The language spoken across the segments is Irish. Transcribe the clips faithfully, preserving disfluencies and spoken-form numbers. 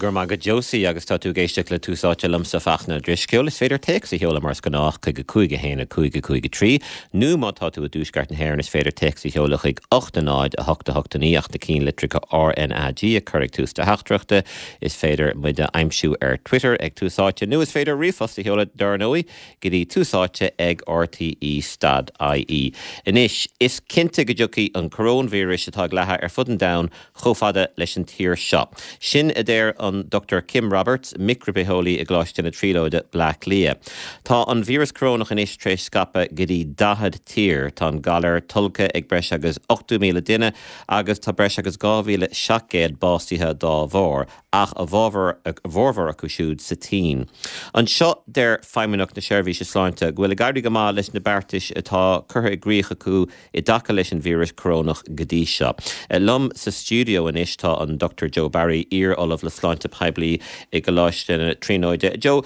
Go raibh maith agat Josie agus tá tú ag éisteacht le Tús Áite liomsa Fachtna Ó Drisceoil. Is féidir téacs a sheoladh mar is gnách chuig a cúig a haon a cúig a cúig a trí nó má tá tú i dtuaisceart na hÉireann is féidir téacs a sheoladh chuig ocht a náid a hocht a hocht a naoi ach na ceannlitreacha RNAG a chur ag tús do theachtaireachta. Is féidir muid a aimsiú ar Twitter ag Tús Áite nó is féidir ríomhphost a sheoladh dar ndóigh go dtí tús áite ag RTE stad IE. Anois is cinnte go dtiocfaidh an coróinvíreas atá ag leathadh ar fud an domhain chomh fada leis an tír seo. Sin a deir an Dr Kim Roberts, micribhitheolaí i gColáiste na Tríonóide Bleá Cliath. Tá an víreas corónach anois tar éis scaipeadh go dtí daichead tír, Tá an galar tolgtha ag breis agus ochtó míle duine agus tá breis agus dhá mhíle seacht gcéad básaithe dá bharr, ach a bhformhór acu siúd sa tSín. Anseo deir Feidhmeannacht na Seirbhíse Sláinte go bhfuil ag éirí go maith leis na beartais atá curtha i gcrích acu i dtaca leis an víreas corónach go dtí seo. Liom sa stiúideo anois tá an Dr Joe Barry iar-ollamh le sláinte poiblí i gColáiste na Tríonóide. Joe,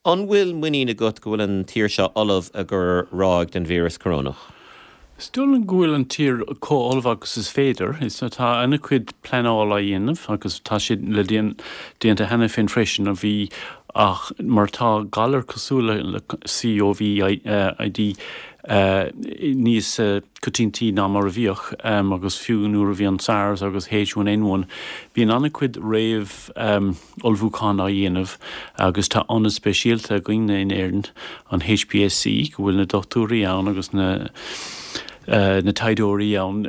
an bhfuil muinín agat go bhfuil an tír seo ullamh i gcomhair ráig den víreas corónach? Is dóigh liom go bhfuil an tír chomh ullamh agus is féidir. Is tá an-chuid pleanála á dhéanamh agus tá sé le déanta cheana féin freisin a bhí ach mar tá galar cosúil le COVID níos coitianta ná mar a bhíodh agus fiú nuair a bhí an SARS agus H one N one bíonn an-chuid réamh ullmhúchán á dhéanamh agus tá ionad speisialta againn in Éirinn an HPSC go bhfuil na dochtúirí ann agus na na taighdeoirí ann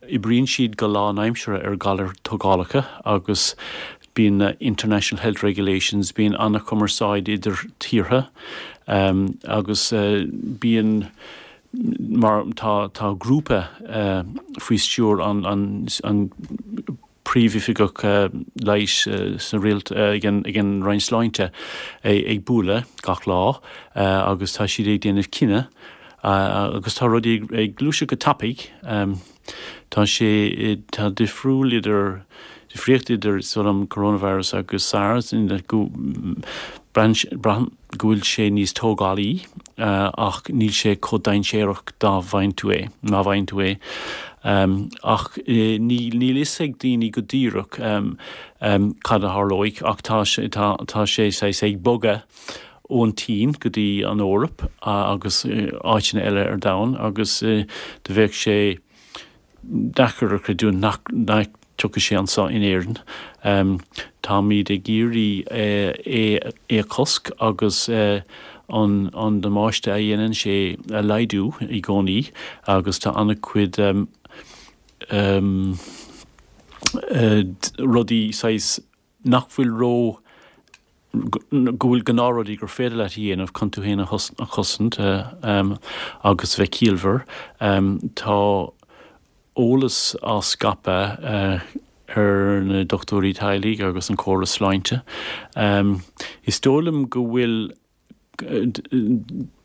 oibríonn siad go lánaimseartha ar ghalair tógálacha agus bíonn na International Health Regulations bíonn an-chumarsáid idir tíortha agus bíonn mar tá tá grúpa faoi stiúir an an an príomhoifigeach leighis sa rialt ag an ag an Roinn Sláinte ag bualadh gach lá agus tá siad ag déanamh cinneadh agus tá rudaí ag gluaiseacht go tapaidh. Tá sé tá difriúil idir difríocht idir an coronavirus agus SARS go braithim go bhfuil sé níos tógálaí ach níl sé chomh dainséarach dá bhfaigheann tú é má bhfaigheann tú é. Ach níl níl fhios ag daoine go díreach cad a tharlóidh ach tá sé tá tá sé saghas ag bogadh ón tSín go dtí an Eoraip agus áiteanna eile ar domhan agus do bheadh sé deacair a chreidiúint nach nach dtiocfaidh sé anseo in Éirinn. Táimid ag iarraidh é é a chosc agus an an damáiste a dhéanann sé a laghdú i gcónaí agus tá an-chuid rudaí saghas nach bhfuil ró go bhfuil gnáthrudaí gur féidir leat a dhéanamh chun tú féin a chosaint agus bheith ciallmhar. Tá eolas á scaipeadh ar na dochtúirí teaghlaigh agus an córas sláinte. Is dóigh liom go bhfuil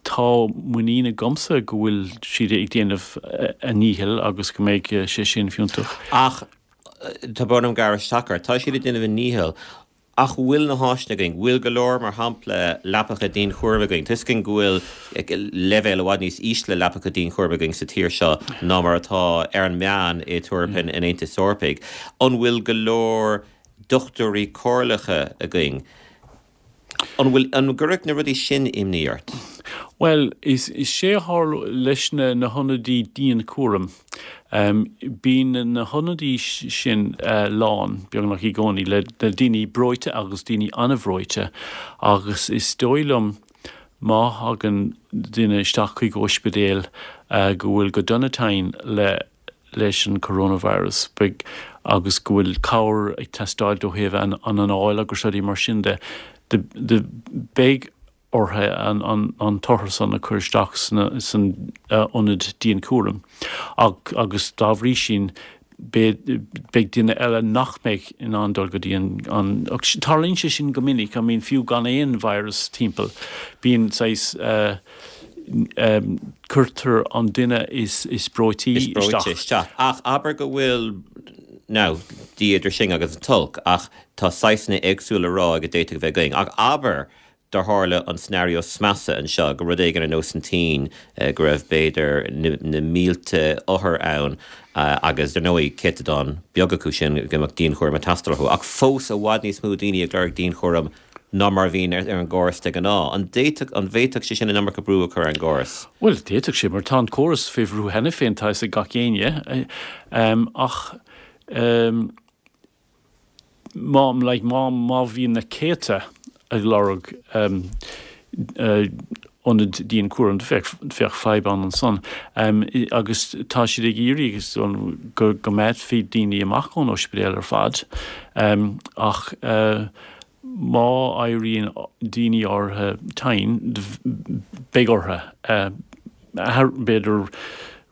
tá muinín agamsa go bhfuil siad ag déanamh a ndícheall agus go mbeidh sé sin fiúntach. Ach tá brón orm gearradh isteach ort, tá siad ag déanamh a ndícheall ach bhfuil na háiseanna againn, bhfuil go leor mar shampla leapacha dianchúraim againn? Tá a fhios againn go bhfuil leibhéal i bhfad níos ísle leapacha dianchúraim againn sa tír seo ná mar atá ar an meán i dtíortha an Aontais Eorpaigh. An bhfuil go leor dochtúirí comhairleacha againn? An bhfuil an gcuirfeadh na rudaí sin imní ort? Bhuel, is is sé a tharla leis na na hionadaí dianchúraim. Um, bíonn na hionadaí sin uh, lán beagnach i gcónaí le, le daoine breoite agus daoine an-bhreoite agus is dóigh liom má thagann duine isteach chuig ospidéal uh, go bhfuil go dona tinn le leis an coronavirus beidh agus go bhfuil cabhair ag teastáil ó thaobh an an anáil agus rudaí mar sin de de, de beidh orthu an, an, an t-othar san a chur isteach san, san uh, ionad dianchúraim. Ach, agus dá bhrí sin beidh duine eile nach mbeidh in ann dul go dtí an, an tarlaíonn sé sin go minic, I mean fiú gan aon virus timpeall. Bíonn saghas uh, um, cuirtear an duine is is breoití isteach. isteach. Ach abair go bhfuil now Dia idir sinn agus an t-olc ach tá saghsanna éagsúla ráig a d'fhéadfadh bheith againn. Ach abair dá tharla an scenario is measa anseo, go rud éigin ar nós an tSín, go raibh b'fhéidir na mílte othar ann agus dar ndóigh céatadán beag acu sin go mbeadh dianchúram ag teastáil orthu, ach fós i bhfad níos mó daoine ag lorg dianchúram ná mar a bhíonn ar an gcóras de ghnáth. An d'fhéadfadh, an bhféadfadh sé sin an iomarca brú a chur ar an gcóras? Bhuel, d'fhéadfadh sé, mar tá an córas faoi bhrú cheana féin, tá a fhios ag gach éinne, ach má, like, má, má bhíonn na céadta ag lorg ionad dianchúraim, bheadh, bheadh fadhb ann ansan. Agus tá siad ag iarraidh go, go mbeadh daoine amach ón ospidéal ar fad, ach má éiríonn daoine áirithe tinn, beidh orthu, b'fhéidir,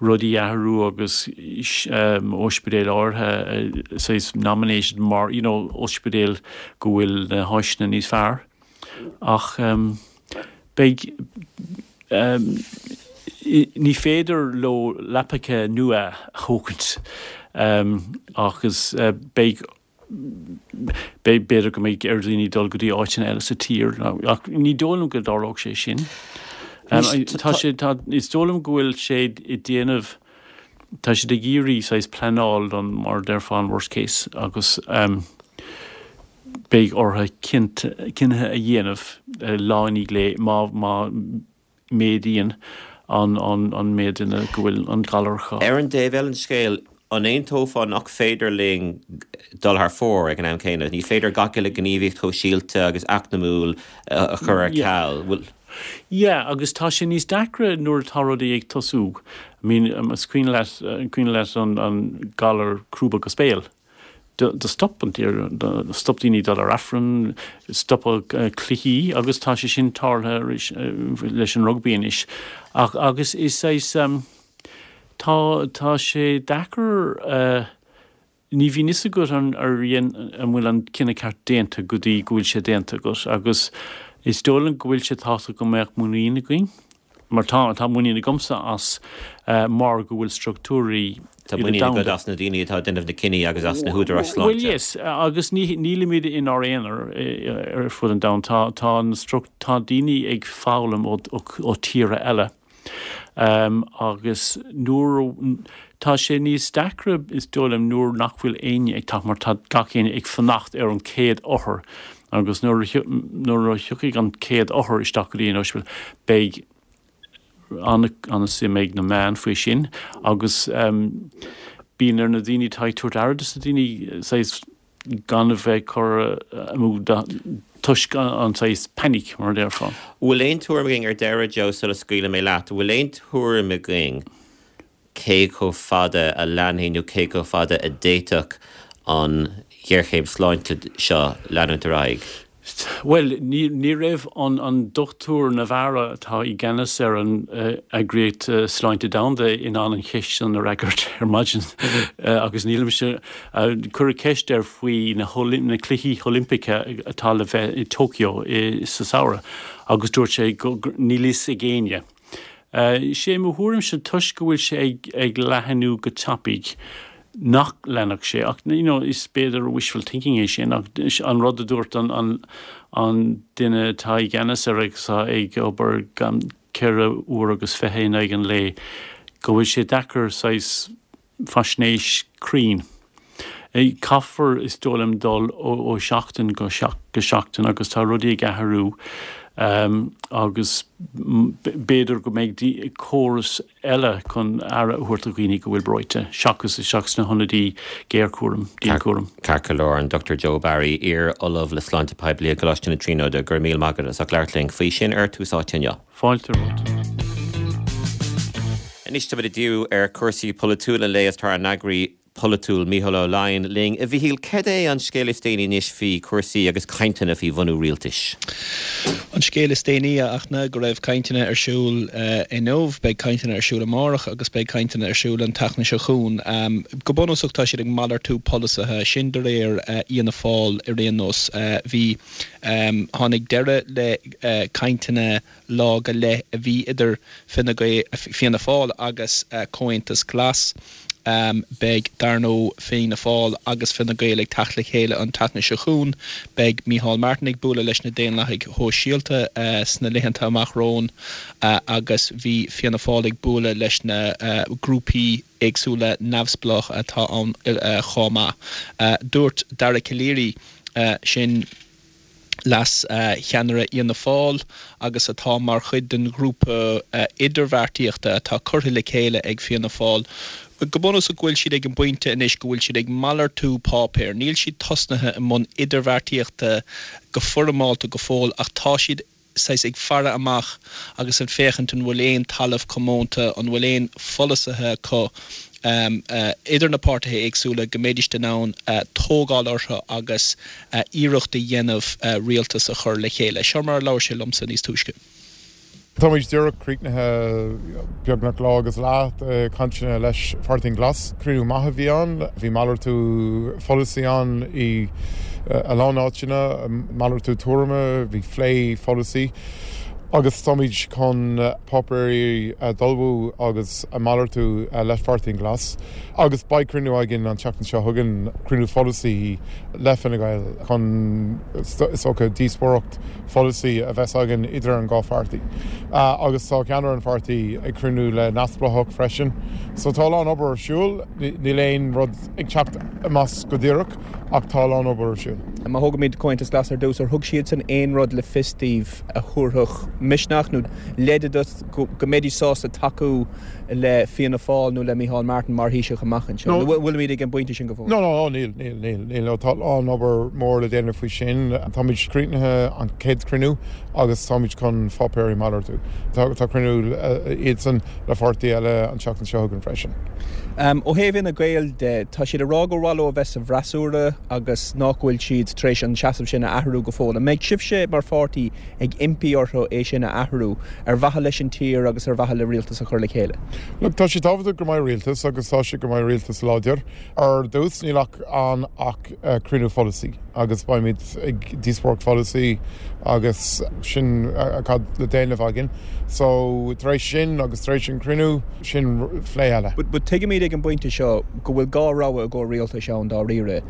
rudaí a athrú agus ospidéil áirithe saghas nominated mar, you know, ospidéal go bhfuil na háiseanna níos fearr. Ach beidh, ní féidir leo leapacha nua a thógaint agus beidh, beidh, b'fhéidir go mbeidh ar dhaoine dul go dtí áiteanna eile sa tír, ach ní dóigh liom go dtarlódh sé sin. Tá sé, tá, is dóigh liom go bhfuil sé ag déanamh, tá siad ag iarraidh saghas pleanáil don, mar a déarfá, an worst case agus beidh orthu cinntí a dhéanamh lá i ndiaidh lae má, má méadaíonn an, an, an méid duine go bhfuil an galar acu. Ar an dtaobh eile den scéal, an aontófá nach féidir linn dul thar fóir ag an am céanna? Ní féidir gach uile gníomhaíocht shóisialta agus eacnamúil a chur ar ceal. Bhfuil. Yeah, agus tá sé níos deacra nuair atá rudaí ag tosú. I mean, is cuimhin leat, cuimhin leat an, an galar crúb agus béil. Do stop an tír, do stop daoine dul ar Aifreann, stopadh cluichí agus tá sé sin tarlaithe arís leis an rugbaí anois. Ach, agus is saghas, tá, tá sé deacair, ní bhíonn fhios agat an, ar dhein, an bhfuil an cinneadh ceart déanta go dtí go bhfuil sé déanta agat agus is dóigh liom go bhfuil sé tábhachtach go mbeadh muinín againn. Mar tá, tá muinín agamsa as mar go bhfuil struchtúirí Tá muinín agat as na daoine atá ag déanamh na cinní agus as na húdaráis sláinte. Bhuel, yes, agus ní, nílimid inár aonar ar fud an domhain. Tá, tá na struc, tá daoine ag foghlaim ó, ó, ó tíortha eile. Um, agus nuair, tá sé níos deacra, is dóigh liom, nuair nach bhfuil éinne ag teacht mar tá gach éinne ag fanacht ar an chéad othar agus nuair a, nuair a thiocfaidh an chéad othar isteach go dtí an ospidéal, beidh an-suim ag na meáin faoi sin agus bíonn ar na daoine atá ag tabhairt aire dos na daoine saghas gan a bheith curtha amú toisc an saghas panic mar a déarfá. Bhfuil aon tuairim againn ar deireadh, Joe, sula scaoilfidh mé leat, bhfuil aon tuairim againn cé chomh fada a leanfaidh nó cé chomh fada a d'fhéadfadh an ghéarchéim sláinte seo leanúint ar aghaidh? Bhuel, ní, ní raibh an, an Dochtúir Navarro atá i gceannas ar an Eagraíocht Sláinte Domhanda in ann an cheist sin a fhreagairt ar maidin agus nílimse, cuireadh ceist air faoi na, na Cluichí Oilimpeacha atá le bheith i Tokyo i, sa samhradh agus dúirt sé go, níl fhios ag éinne. Sé mo thuairimse toisc go bhfuil sé ag, ag leathnú go tapaidh, nach leanfadh sé ach you know is b'fhéidir wishful thinking é sin ach an rud a dúirt an an an duine atá i gceannas air agus atá ag obair gan ceithre uair agus fiche in aghaidh an lae go bhfuil sé deacair saghas faisnéis cruinn Caithfear is dóigh liom dul ó ó sheachtain go go seachtain agus tá rudaí ag athrú agus b'fhéidir go mbeidh córas eile chun aire a thabhairt do dhaoine go bhfuil breoite, seachas isteach sna hionadaí géarchúraim, dianchúraim. Ceart go leor, an Dochtúir Joe Barry, iar-Ollamh le Sláinte Poiblí i gColáiste na Tríonóide, go raibh míle maith agat as ucht labhairt linn faoi sin ar Tús Áite inniu. Fáilte romhat. Anois táimid ag díriú ar chúrsaí polaitiúla an lae is tá ár n-eagraí polaitiúil Mícheál Ó Laighin linn. A Mhíchíl, cad é an scéal is déanaí anois faoi chúrsaí agus cainteanna faoi bhunú rialtais? An scéal is déanaí a Fhachtna go raibh cainteanna ar siúl inniu, beidh cainteanna ar siúl amárach agus beidh cainteanna ar siúl an tseachtain seo chugainn. Go bunúsach tá siad ag malartú polasaithe, sin de réir Fhianna Fáil ar aon nós. Bhí, tháinig deireadh le cainteanna lá go leith a bhí idir Fine Gael, Fianna Fáil agus Comhaontas Glas. Beidh, dar ndóigh, Fianna Fáil agus Fine Gael ag teacht le chéile an tseachtain seo chugainn. Beidh Micheál Martin ag bualadh leis na Daonlathaigh Shóisialta sna laethanta amach romhainn agus bhí Fianna Fáil ag bualadh leis na grúpaí éagsúla neamhspleácha atá ann chomh maith. Dúirt Dara Calleary, sin leas-cheannaire Fhianna Fáil agus atá mar chuid den ghrúpa idirbheartaíochta atá curtha le chéile ag Fianna Fáil, go bunúsach go bhfuil siad ag an bpointe anois go bhfuil siad ag malartú páipéir. Níl siad tosnaithe i mbun idirbheartaíochta go foirmeálta go fóill ach tá siad saghas ag faire amach agus ag féachaint an bhfuil aon talamh comónta, an bhfuil aon pholasaithe acu idir na páirtithe éagsúla go mbeidís in ann tógáil orthu agus iarracht a dhéanamh rialtas a chur le chéile. Seo mar a labhair sé liomsa níos túisce. Táimid díreach críochnaithe beagnach lá agus leath de chainteanna leis Pháirtí an Glas. Cruinniú maith a bhí ann. Bhí malartú pholasaí ann i a lán áiteanna, malartú tuairime, bhí phlé pholasaí agus táimid chun páipéirí a d'ullmhú agus a malartú le Pháirtí an Glas. Agus beidh cruinniú againn an tseachtain seo chugainn, cruinniú pholasaí le Fine Gael chun is dócha díospóireacht pholasaí a bheas againn idir an dhá pháirtí. Agus tá ceannaire an pháirtí ag cruinniú le neamhspleáchaigh freisin. So tá a lán obair ar siúl, níl aon rud ag teacht amach go díreach ach tá a lán obair ar siúl. Má thógaimid Comhaontas Glas ar dtús, ar thug siadsan aon rud le fios daoibh a thabharfadh misneach nó leide duit go mbeidís sásta tacú le Fianna Fáil nó le Micheál Martin mar Thaoiseach amach anseo? Nó bhfuilimid ag an bpointe sin go fóill? No, no, no, níl, níl, níl, níl. Tá a lán obair mór le déanamh faoi sin. Táimid críochnaithe an chéad chruinniú agus táimid chun pháipéirí malartú. Tá tá cruinniú iadsan le pháirtí eile an tseachtain seo chugainn freisin. Ó thaobh Fhine Gael de, tá siad ag rá gur mhaith leo a bheith sa bhfreasúra agus nach bhfuil siad tar éis an seasamh sin a athrú go fóill. An mbeidh sibhse mar pháirtí ag impí orthu é sin a athrú ar mhaithe leis an tír agus ar mhaithe le rialtas a chur le chéile? Look, tá sé tábhachtach go mbeidh rialtas agus tá sé go mbeidh rialtas láidir. Ar dtús níl ach ann ach cruinniú pholasaí agus beimid ag díospóireacht pholasaí agus sin cad le déanamh againn. So tar éis sin agus tar éis an cruinniú sin phlé eile. But tuigimid ag an bpointe seo go bhfuil dhá rogha i gcomhair rialtais ann dáiríre.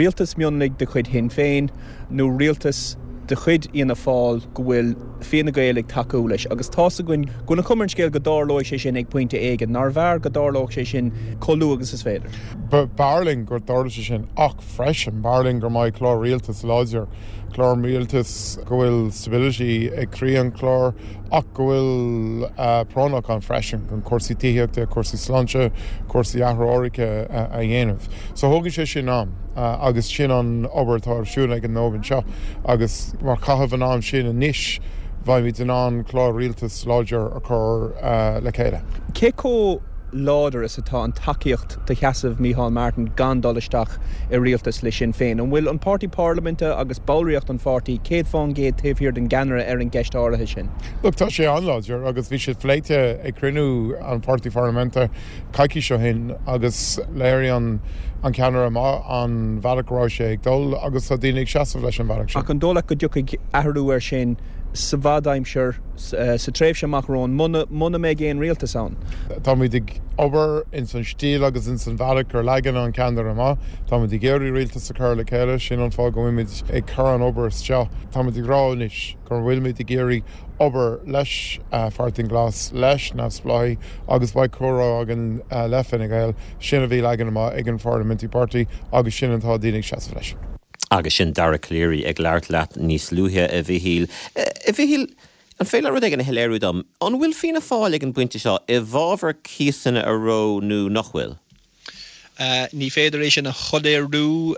Rialtas mionlaigh de chuid Shinn Féin nó rialtas de chuid Fhianna Fáil go bhfuil Fine Gael ag tacú leis. Agus tá's againn go bhfuil an chuma ar an scéal go dtarlóidh sé sin ag pointe éigin. Nárbh fhearr go dtarlódh sé sin chomh luath agus is féidir? B'fhearr linn go dtarlódh sé sin ach freisin b'fhearr linn go mbeidh clár rialtas láidir, clár rialtas go bhfuil stability ag croí an chlár ach go bhfuil práinneach ann freisin chun cúrsaí tithíochta, cúrsaí sláinte, cúrsaí athrú aeráide a dhéanamh. So thógann sé sin am agus sin an obair atá ar siúl ag an nóiméad seo agus mar chaitheamh an am sin anois beimid in ann clár rialtas láidir a chur le chéile. Cé chomh láidir is atá an tacaíocht do sheasamh Micheál Martin gan dul isteach i rialtas le Sinn Féin? An bhfuil an páirtí parlaiminte agus ballraíocht an pháirtí céad fán gcéad taobh thiar den gceannaire ar an gceist áirithe sin? Look, tá sé an-láidir agus bhí siad pléite ag cruinniú an pháirtí pharlaiminte coicís ó shin agus léirigh an an ceannaire amach an bhealach go raibh sé ag dul agus tá daoine ag seasamh leis an bhealach sin. Ach an dóigh leat go dtiocfaidh athrú air sin sa bhfad-aimsir, sa tréimhse amach romhainn, muna muna mbeidh aon rialtas ann? Táimid ag obair ins an stíl agus ins an bhealach gur leagan an ceannaire amach. Táimid ag iarraidh rialtas a chur le chéile, sin an fáth go bhfuilimid ag cur an obair isteach. Táimid ag rá anois go bhfuilimid ag iarraidh obair leis Pháirtí an Glas, leis neamhspleáchaigh agus beidh comhrá againn le Fine Gael, sin a bhí leagan amach ag an Parliamentary Party agus sin atá daoine ag seasamh leis. Agus sin Dara Calleary ag labhairt leat níos luaithe, a Mhichíl. A Mhichíl, an féidir leat rud éigin a shoiléiriú dom? An bhfuil Fianna Fáil ag an bpointe seo i bhfabhar cíosanna a reo nó nach bhfuil? Ní féidir é sin a shoiléiriú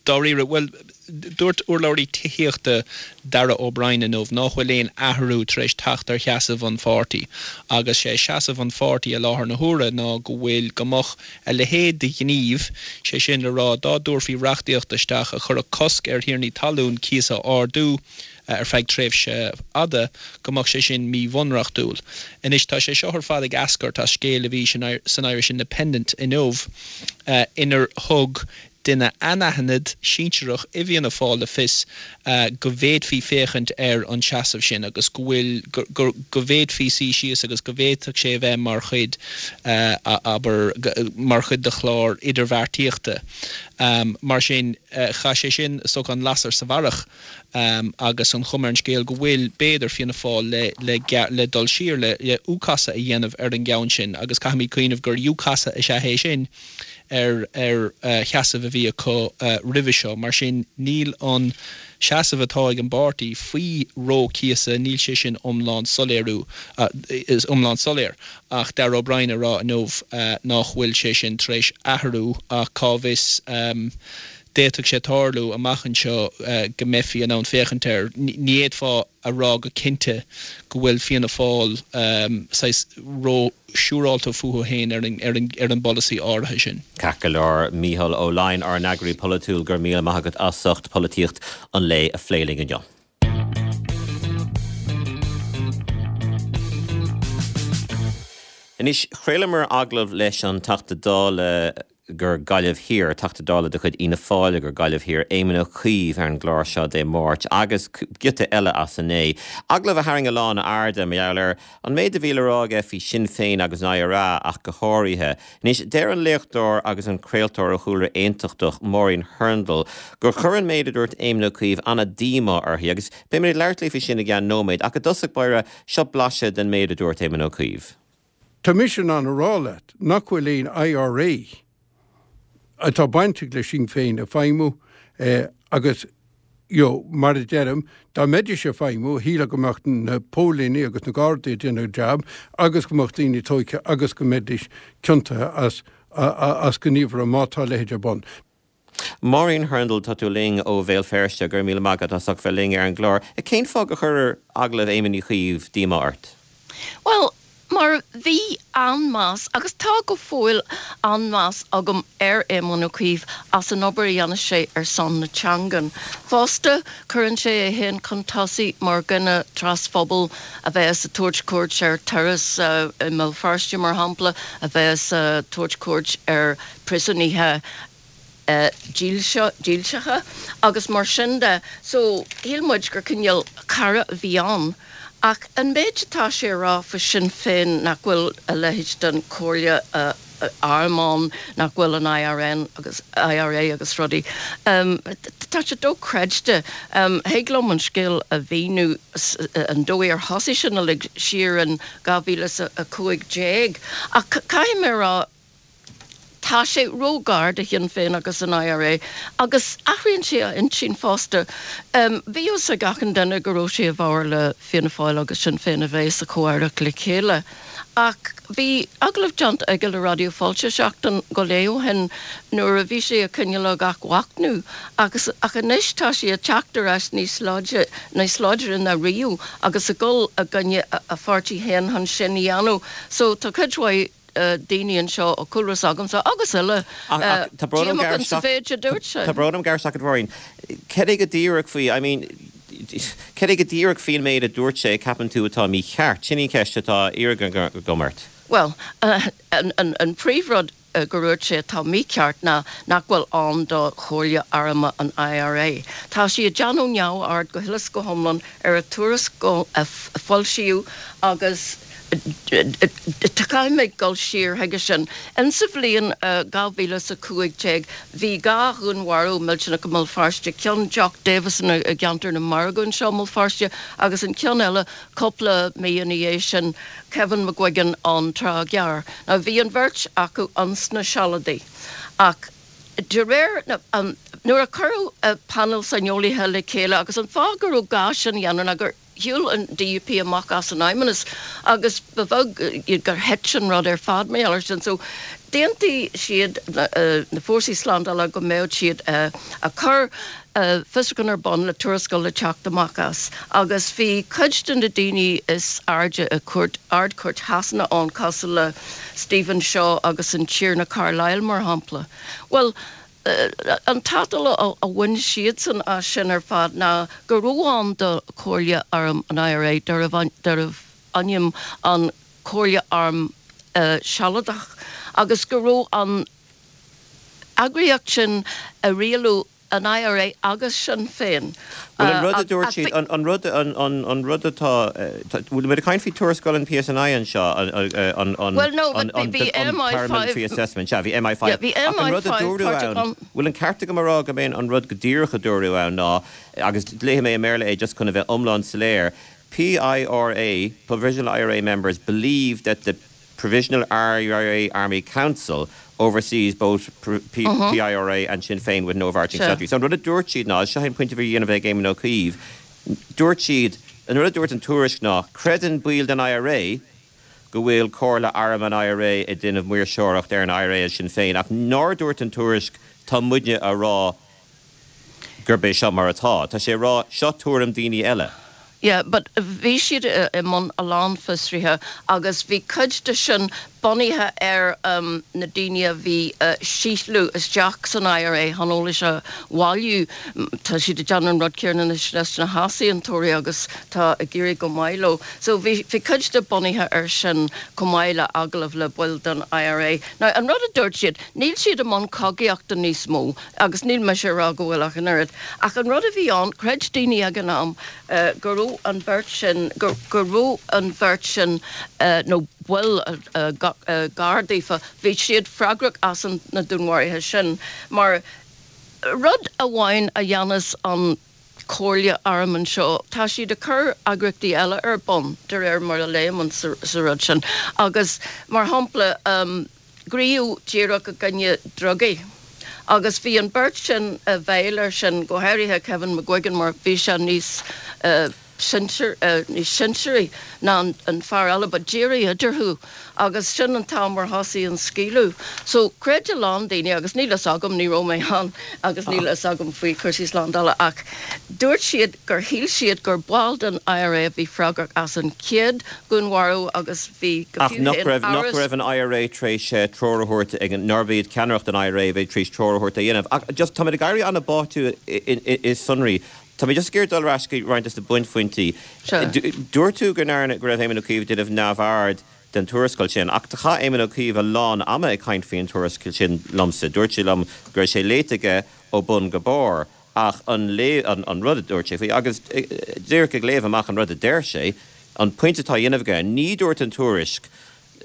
dáiríre. Bhuel, dúirt urlabhraí tithíochta Darragh O'Brien inniu nach bhfuil aon athrú tar éis teacht ar sheasamh an pháirtí agus sé seasamh an pháirtí i láthair na huaire ná go bhfuil go mbeadh a leithéid de ghníomh, sé sin le rá dá dtabharfaí reachtaíocht isteach a chuirfeadh cosc ar thiarnaí talún cíos a ardú ar feadh tréimhse fhada, go mbeadh sé sin míbhunreachtúil. Anois tá sé seo ar fad ag eascairt as scéal a bhí san Irish Independent inniu inar thug duine anaithnid sinsearach i bhFianna Fáil le fios go bhféadfaí féachaint ar an seasamh sin agus go bhfuil go bhféadfaí suí síos agus go bhféadfadh sé a bheith mar chuid, abair, mar chuid de chlár idirbheartaíochta. Mar sin, chaith sé sin is dócha an lasair sa bharrach agus an chuma ar an scéal go bhfuil, b'fhéidir, Fianna Fáil le le le dul siar le le U-chasadh a dhéanamh ar an gceann sin agus caithfimid cuimhneamh gur U-chasadh is ea é sin ar ar sheasamh a bhí acu roimhe seo. Mar sin, níl an seasamh atá ag an bpáirtí faoi reo cíosa, níl sé sin iomlán soiléiriú, iomlán soiléir. Ach Darragh O'Brien ag rá inniu nach bhfuil sé sin tar éis athrú ach cá bhfios, d'fhéadfadh sé tarlú amach anseo go mbeifí in ann féachaint air. Ní fhéadfá a rá go cinnte go bhfuil Fianna Fáil saghas ró-siúrálta fúthu féin ar an bpolasaí áirithe sin. Ceart go leor, Mícheál Ó Laighin, ár n-eagraí polaitiúil, go raibh míle maith agat as ucht polaitíocht an lae a phlé linn inniu. Anois, chraolamar agallamh leis an Teachta Dála gur Gaillimh Thiar, Teachta Dála de chuid Fhianna Fáil gur Gaillimh Thiar, Éamon Ó Cuív ar an gclár seo Dé Máirt agus giota eile as inné. Agallamh a tharraing a lán airde mar gheall ar an méid a bhí le rá aige faoi Sinn Féin agus an IRA ach go háirithe. Anois, deir an léachtóir agus an craoltóir ó chúlra aontachtach, Máirín Hurndall, gur chuir an méid a dúirt Éamon Ó Cuív an-díomá uirthi agus beimid ag labhairt léi faoi sin i gceann nóiméid ach i dtosach báire, seo blaiseadh den méid a dúirt Éamon Ó Cuív. Tá mise in ann a rá leat nach bhfuil aon IRA atá bainteach le Sinn Féin ag feidhmiú agus you know, mar a deirim, dá mbeidís ag feidhmiú, shílfeá go mbeadh na póilíní agus na Gardaí ag déanamh a jab agus go mbeadh daoine tógtha agus go mbeidís ciontaithe as as gníomhartha má tá a leithéid ar bun. Máirín Hurndall, tá tú linn ó Bhéal Feirste, go raibh míle maith agat as ucht bheith linn ar an gclár. Cén fáth gur chuir agallamh Éamoin Uí Chuív díomá ort? Bhuel, mar bhí an-mheas, agus tá go fóill an-mheas agam ar Éamon Ó Cuív as an obair a dhéanann sé ar son na teangan. Fosta, cuireann sé é féin chun tosaigh mar dhuine trasphobail a bheas ag tabhairt cuairt ar turas i mBéal Feirste, mar shampla, a bheas ag tabhairt cuairt ar phríosúnaithe dílseacha agus mar sin de. So, shíl muid gur cineál cara a bhí ann. Ach an méid atá sé a rá faoi Sinn Féin, nach bhfuil a leithéid den Chomhairle Airm ann, nach bhfuil an IRN agus IRA agus rudaí, tá sé dochreidte. Thig liom an scéal a mhíniú, an dóigh ar thosaigh sin uilig siar in dhá mhíle is a cúig déag. Ach caithfidh mé a rá, Tá sé ró-ghar do Shinn Féin agus an IRA agus athraíonn sé a intinn fosta. Bhí fhios ag achan duine go raibh sé i bhfabhar le Fianna Fáil agus Sinn Féin a bheith sa chomh-aireacht le chéile ach bhí agallamh déanta aige le Raidió Fáilte seachtain go leith ó shin nuair a bhí sé ag cineál ag athmhachnamh agus ach anois tá sé ag teacht ar ais níos láidre níos láidre ná riamh agus ag dul i gcoinne a pháirtí féin chun sin a dhéanamh. So tá cuid mhaith daoine anseo ó chúlra s'agamsa agus eile díomách sa mhéid a dúirt sé. Tá brón orm gearradh isteach ort a Mháirín. Cad é go díreach faoi, I mean, cad é go díreach faoin méid a dúirt sé a ceapann tú atá mícheart? Sin í an cheist atá á iarraidh agam ort. Bhuel, an príomhrud gur dhúirt sé atá mícheart ná nach bhfuil ann do Chomhairle Airm an IRA. Tá sé ag déanamh neamhaird go huile is go hiomlán ar an tuarascáil a foilsíodh agus Caithfidh mé dul siar chuige sin. Insa bhliain dhá mhíle is a cúig déag bhí dhá dhúnmharú millteanach i mBéal Feirste, ceann Jock Davison i gceantar na Margaidh anseo i mBéal Feirste agus an ceann eile cúpla mí ina dhiaidh sin, Kevin McGuigan an Trá Ghearr. Now bhí an bheirt acu ins na Sealadaigh ach de réir na, nuair a cuireadh painéal saineolaithe le chéile agus an fáth go raibh gá sin a dhéanamh ná gur Shiúil an DUP amach as an Fheidhmeannas agus ba bheag gur thit an rud ar fad mar gheall air sin. So d'aontaigh siad, na fórsaí slándála, go mbeadh siad ag cur fiosrúchán ar bun le tuarascáil le teacht amach as. Agus bhí cuid de na daoine is airde i gcúirt, Ard-Chúirt Shasana ann cosúil le Stephen Shaw agus an Tiarna Carlile mar shampla. Bhuel, An tátal a bhain siadsan as sin ar fad ná go raibh ann do Chomhairle Airm an IRA, darbh ainm an Chomhairle Airm Shealadach, agus go raibh an eagraíocht sin a rialú an IRA agus Sinn Féin. Bhuel an rud a dúirt siad, an rud an rud atá, bhfuil muid ag caint faoi tuarascáil an PSNI anseo, an paramilitary assessment, sea, bhí MI five, ach an rud a dúradh ann, bhfuil an ceart agam a rá go mb'é an rud go díreach a dúradh ann ná, agus léifidh mé i mBéarla é just chun a bheith iomlán soiléir, PIRA, Provisional IRA members believe that the Provisional IRA Army Council oversees both PIRA and Sinn Féin with no overarching strategy. So an rud a dúirt siad ná, seo an pointe a bhí á dhéanamh ag Éamon Ó Cuív, dúirt siad, an rud a dúirt an tuairisc ná, creideann baill den IRA go bhfuil Comhairle Airm an IRA ag déanamh maoirseoireacht ar an IRA is Sinn Féin, ach nár dúirt an tuairisc tá muidne a rá gurb é seo mar atá. Tá sé ag rá seo tuairim daoine eile. Yeah, but bhí siad i mbun a lán fiosruithe agus bhí cuid de sin bunaithe ar um, na daoine a bhí uh, síothlú isteach san IRA chun eolas a bhailiú. Tá siad ag déanamh an rud céanna anois leis na heasaontóirí agus tá ag éirí go maith leo. So bhí bhí cuid de bunaithe ar sin chomh maith le agallaimh le baill den IRA. Now an rud a dúirt siad, níl siad i mbun cogaíochta níos mó agus níl mise ag rá go bhfuil ach an oiread. Ach an rud a bhí ann, chreid daoine ag an am uh, go raibh an bheirt sin go raibh an bheirt sin uh, nó baill uh, uh, gar daofa bhí siad freagrach as an na dúnmharuithe sin mar rud amháin a dhéanas an Comhairle Airm anseo tá siad ag cur eagraíochtaí eile ar bun de réir mar a léim sa, sa rud sin agus mar shampla um, gníomh díreach i gcoinne drugaí. Agus bhí an bheirt sin a bheil ar sin go háirithe Kevin McGuigan mar bhí sé níos uh, sinsear uh, níos sinsearaí ná an, an fear eile but d'éirigh idirthu agus sin an t-am ar thosaigh an scaoileadh. So chreid a lán daoine agus níl a fhios agam ní raibh mé ann agus níl a fhios agam faoi chúrsaí slándála ach dúirt siad gur shíl siad gur baill den IRA a bhí freagrach as an chéad dúnmharú agus bhí go Ach nach raibh nach raibh an IRA tar éis treoir a thabhairt ag an nárbh iad ceannaireacht an IRA bhí tar éis treoir a thabhairt a dhéanamh. Ach just tá ag éirí an-bháite i sonraí. Tá mé just ag iarraidh dul ar ais go roinnt de na bunphointí. Dúirt tú go ndearna go raibh Éamon Ó Cuív ag déanamh neamhaird den tuarascáil sin, ach do chaith Éamon Ó Cuív a lán ama ag caint faoin tuarascáil sin liomsa. Dúirt sé liom go raibh sé léite aige ó bun go barr ach an lé an, an rud a dúirt sé faoi agus díreach ag léamh amach an rud a deir sé, an pointe atá á dhéanamh aige ní dúirt an tuairisc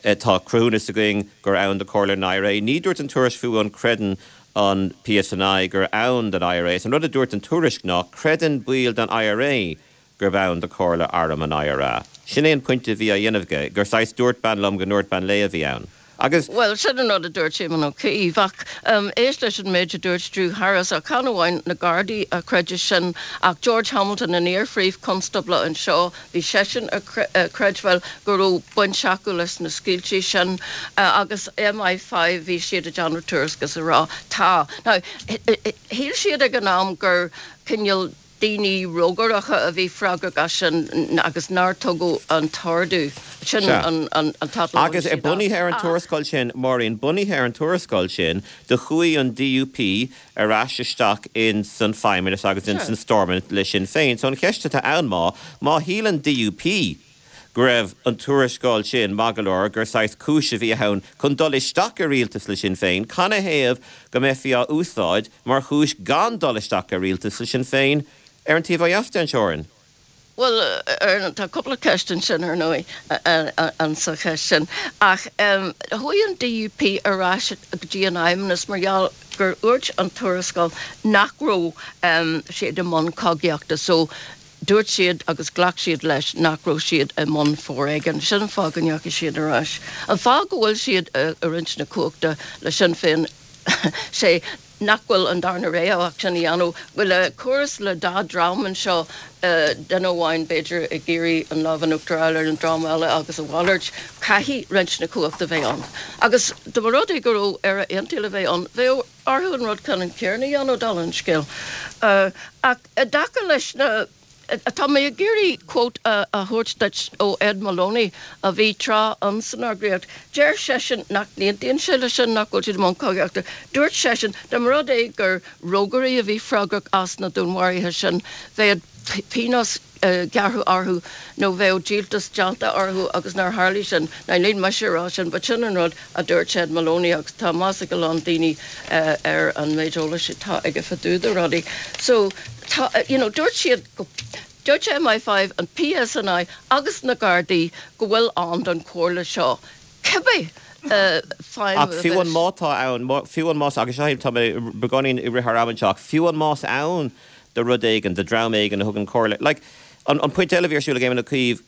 tá cruthúnas againn gur ann do Comhairle an IRA, ní dúirt an tuairisc fiú an creideann an PSNI gur ann don IRA. An rud a dúirt an tuairisc ná creideann baill den IRA gurb ann do Comhairle Airm an IRA. Sin é an pointe a bhí á dhéanamh aige, gur saghas dúirt bean liom go ndúirt bean léi a bhí ann. Agus Well sin an rud a dúirt Éamon Ó Cuív ach um, éist leis an méid a dúirt Drew Harris a chan amháin na Gardaí a chreid sin ach George Hamilton an iar-phríomh-chonstábla anseo bhí seisean a chreidbheáil go raibh baint acu leis na scaoiltí sin uh, agus MI five bhí siad ag déanamh tuairisc agus a rá tá. Now, shíl siad ag an am gur cineál daoine rógaireacha a bhí freagrach as sin agus nár tugadh an t-ordú sin an an an Agus ar bunaithe ar an tuarascáil sin Maureen bunaithe ar an tuarascáil sin do chuaigh an DUP ar ais isteach in san Feidhmeannas agus in san Stormont le Sinn Féin. So an cheist atá ann má má shíl an DUP go raibh an tuarascáil sin maith go leor gur saghas cúis a bhí ann chun dul isteach i rialtas le Sinn Féin, canathaobh go mbeifí á úsáid mar chúis gan dul isteach i rialtas le Sinn Féin ar an taobh ó dheas den teorainn. Well tá cúpla ceist ansin ar ndóigh an sa cheist sin ach chuaigh an DUP ar ais go dtí an Fheidhmeannas mar gheall gur úirt an tuarascáil nach raibh siad i mbun cogaíochta so dúirt siad agus ghlac siad leis nach raibh siad i mbun foréigin. Sin an fáth go ndeachaigh siad ar ais. An fáth go bhfuil siad i roinnt na cumhachta le Sinn Féin sé nach bhfuil an darna rogha ach sin a dhéanamh bhfuil le córas le dá dream anseo duine amháin b'fhéidir ag iarraidh an lámh in uachtar a fháil ar an dream eile agus a mhalairt caithfidh roinnt na cumhachta bheith ann. Agus dá mba rud é go raibh Éire Aontaithe le bheith ann, bheadh orthu an rud ceannann céanna a dhéanamh dála an scéil. Ach i dtaca leis na Tá mé ag iarraidh quote a thabhairt duit ó Ed Moloney a bhí tráth ann san eagraíocht. Deir seisean nach n-aontaíonn sé leis sin nach bhfuil siad i mbun cogaíochta. Dúirt seisean dá mba rud é gur rógairí a bhí freagrach as na dúnmharuithe sin, bheadh pionós gearradh orthu nó bheadh díoltas déanta orthu agus nár tharlaigh sin. Now níl mise ag rá sin but sin an rud a dúirt Ed Moloney agus tá meas ag a lán daoine ar an méid eolais atá aige fá dtaobh de rudaí. So tá you know dúirt siad go dúirt M I five, an PSNI agus na Gardaí go bhfuil ann don chomhairle seo cibé feidhm Ach fiú an má tá ann, fiú an más, agus seo tá mé beagáinín i rith thar am anseo, ach fiú an más ann do rud éigin, do dream éigin a thugann comhairle, like, an, an pointe eile a bhí ar siúl ag Éamon Ó Cuív,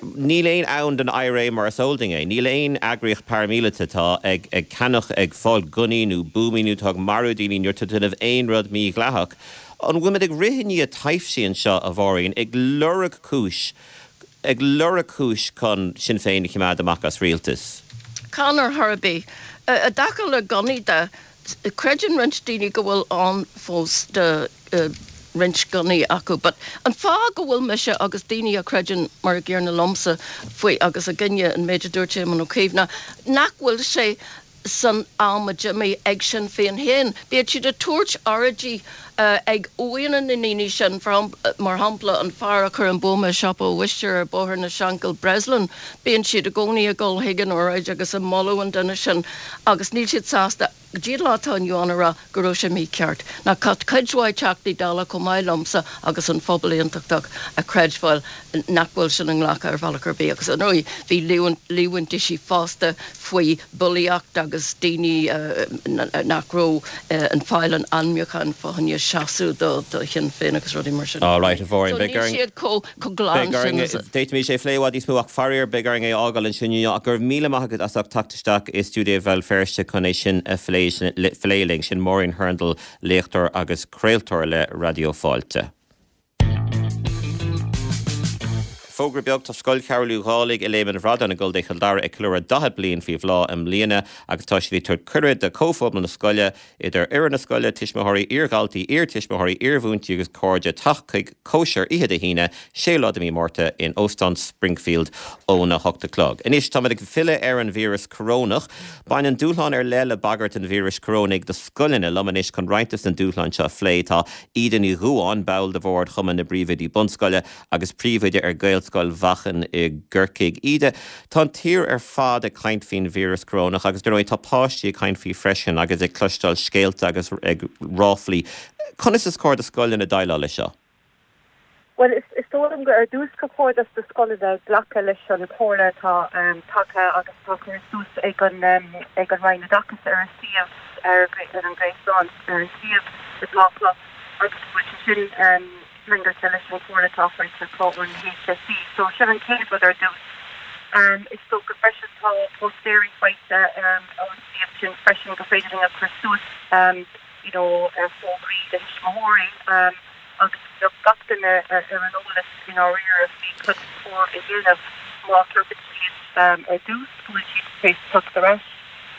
níl aon ann don IRA mar is eol dúinn é. Níl aon eagraíocht paraimíleata atá ag, ag ceannach, ag fáil gunnaí nó buamaí nó atá ag marú daoine nó atá ag déanamh aon rud mídhleathach. An bhfuil muid ag rith i ndiaidh taibhsí anseo, a Mháirín, ag lorg cúis, ag lorg cúis chun Sinn Féin a choimeád amach as rialtas? Chan ar chor ar bith. I dtaca le gunnaí de, creideann roinnt daoine go bhfuil ann fós do roinnt gunnaí acu. But an fáth go bhfuil mise agus daoine a chreideann mar a gcéanna liomsa faoi agus i gcoinne an méid a dúirt Éamon Ó Cuív ná nach bhfuil sé san am a d'imigh ag Sinn Féin féin. Bíonn siad ag tabhairt óráidí ag uaigheanna na ndaoine sin, mar shampla an fear a chuir an buama i siopa Uisce ar Bhóthar na Seanchille, Breslin, bíonn siad i gcónaí ag dul chuig an óráid agus ag moladh an duine sin agus níl siad sásta go dtí an lá atá inniu ann a rá go raibh sé mícheart. Now tá cuid mhaith Teachtaí Dála chomh maith liomsa agus an phobal aontachtach a chreidbheáil nach bhfuil sin inghlactha ar bhealach ar bith agus ar ndóigh bhí líomhaintí fosta faoi bhulaíocht agus daoine nach raibh ag fáil an ainmniúcháin fá choinne seasamh do Shinn Féin agus rudaí mar sin. All right, a Mháirín, So níl siad chomh glan sin as a. D'fhéadfaimis é a phlé i bhfad níos mó ach faraor beidh orainn é a fhágáil ansin inniu ach go raibh míle maith agat as ucht teacht isteach i stiúideo Bhéal Feirste chun é sin a phlé phlé linn. Sin Máirín Hurndall, léachtóir agus craoltóir le Raidió Fáilte. Fógra beag, Tá Scoil Cheathrú Dálaigh i Léim an Bhradáin i gContae Chill Dara ag ceiliúradh daichead bliain faoi bhláth i mbliana agus tá siad ag tabhairt cuireadh do chomhphobal na scoile, idir fhoireann na scoile, tuismitheoirí, iardhaltaí, iartuismitheoirí, iarmhúinteoirí agus cairde, teacht chuig cóisir oíche Dé hAoine, séú lá de mhí Márta in Óstán Springfield óna hocht a chlog. Anois táimid ag filleadh ar an víreas corónach. Baineann dúshlán ar leith le bagairt an víris chorónaigh do scoileanna. Liom anois chun roinnt des na dúshláin seo a phlé tá Íde Ní Dhubháin, ball de bhord Chumann na bPríomhoidí Bunscoile agus príomhoide ar Ghaelscoil Mhachan i gCorcaigh. Íde, tá an tír ar fad ag caint faoin víreas corónach agus dar ndóigh tá páistí ag caint faoi freisin agus ag cloisteáil scéalta agus ag ráflaí. Conas is cóir do scoileanna déileáil leis seo? Bhuel, is dóigh liom gur ar dtús gur chóir dos na scoileanna glacadh leis an chomhairle atá tagtha agus atá curtha suas ag an ag an Roinn Oideachais ar a suíomh ar ar an ghréasán, ar an suíomh atá acu agus go bhfuil sé sin ceangailte leis an chomhairle atá faighte acu ón HSE. So sin an chéad rud ar dtús. Is dócha freisin tá póstaeirí faighte ón suíomh sin freisin gur féidir linn a chur suas you know fógraí do thuismitheoirí. agus go mbeadh gach duine ar an eolas i ndáiríre faoi cad is cóir a dhéanamh má cheapann siad ar dtús go bhfuil siad tar éis teacht ar ais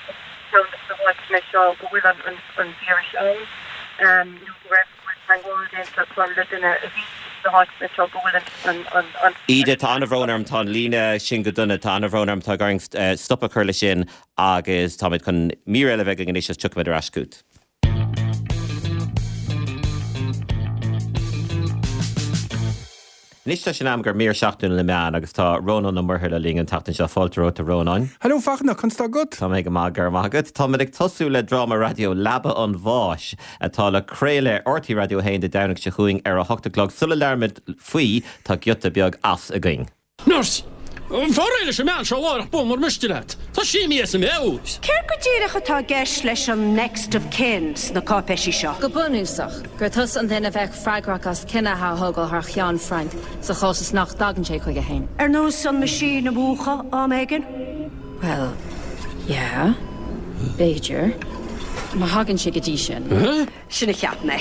i gceann de na háiteanna seo go bhfuil an víreas ann nó go raibh go bhfuil teagmháil déanta acu le duine a bhí sna háiteanna seo go bhfuil an an Íde, tá an-bhrón orm, tá an líne sin go dona, tá an-bhrón orm, tá orainn stop a chur leis sin agus táimid chun mír eile a bheith againn anois agus tiocfaimid ar ais chugat. Anois tá sé in am do mhír seachtainiúil na meán agus tá Rónán Ó Muirthile linn an tseachtain seo. Fáilte romhat a Rónáin. Hello Fachtna, conas tá agat? Tá mé go maith, go raibh maith agat. Táimid ag tosú le dráma raidió Leaba an Bháis atá le craoladh ar RTÉ Raidió a haon Dé Domhnaigh seo chugainn ar a hocht a chlog. Sula labhraímid faoi, tá giota beag as againn. Nurse, Fan réidh leis an mbean seo láithreach bonn mura miste leat. Tá sí imithe as a meabhair. Céard go díreach atá i gceist leis an next of kin sna cáipéisí seo? Go bunúsach, gur tusa an duine a bheadh freagrach as cinneadh a thógáil thar cheann Frank sa chás is nach dtagann sé chuige féin. Ar nós an machine a mhúchadh am éigin? Bhuel, yeah, b'fhéidir. Má thagann sé go dtí sin. Sin a cheap mé.